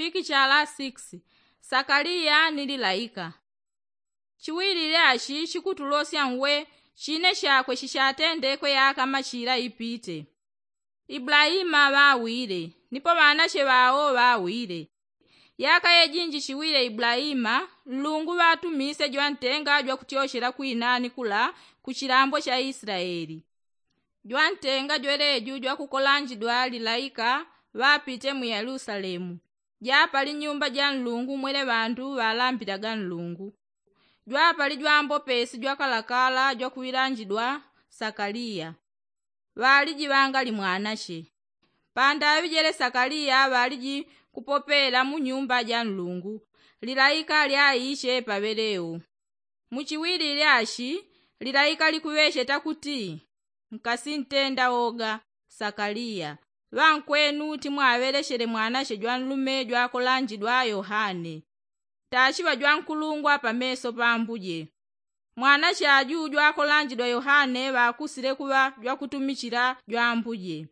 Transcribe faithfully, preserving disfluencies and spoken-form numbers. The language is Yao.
Chiki chala six. Sakaliya ni lilaika. Chiwilile achi chikutulosya nwe chine chakwe chichatendekwe yaka machila ipite. Ibulaima ŵawile, nipo ŵanache ŵao ŵawile. Yaka yejinji chiwile ibulaima, nlungu ŵatumise jwantenga jwakutyochela kwinani kula ku chilambo cha islaeli. Jwantenga jweleju jwakukolanjidwa lilaika ŵapite mu yelusalemu. Japali nyumba ja nlungu mwele ŵandu ŵalambilaga nlungu. Jwapali jwambopesi jwakalakala jwakuŵilanjidwa sakaliya. Ŵaliji ŵangali mwanache. Pandaŵi jele sakaliya ŵaliji kupopela mu nyumba ja nlungu, lilaika lyaiche paŵeleo. Muchiwilile achi, lilaika likuŵecheta kuti, nkasintenda woga, sakaliya, ŵankwenu timwaŵelechele mwanache jwanlume jwakolanjidwa yohane. Tachiŵa jwankulungwa pameso pa ambuje. Mwanache aju jwakolanjidwa yohane ŵakusile kuŵa jwakutumichila jwambuje.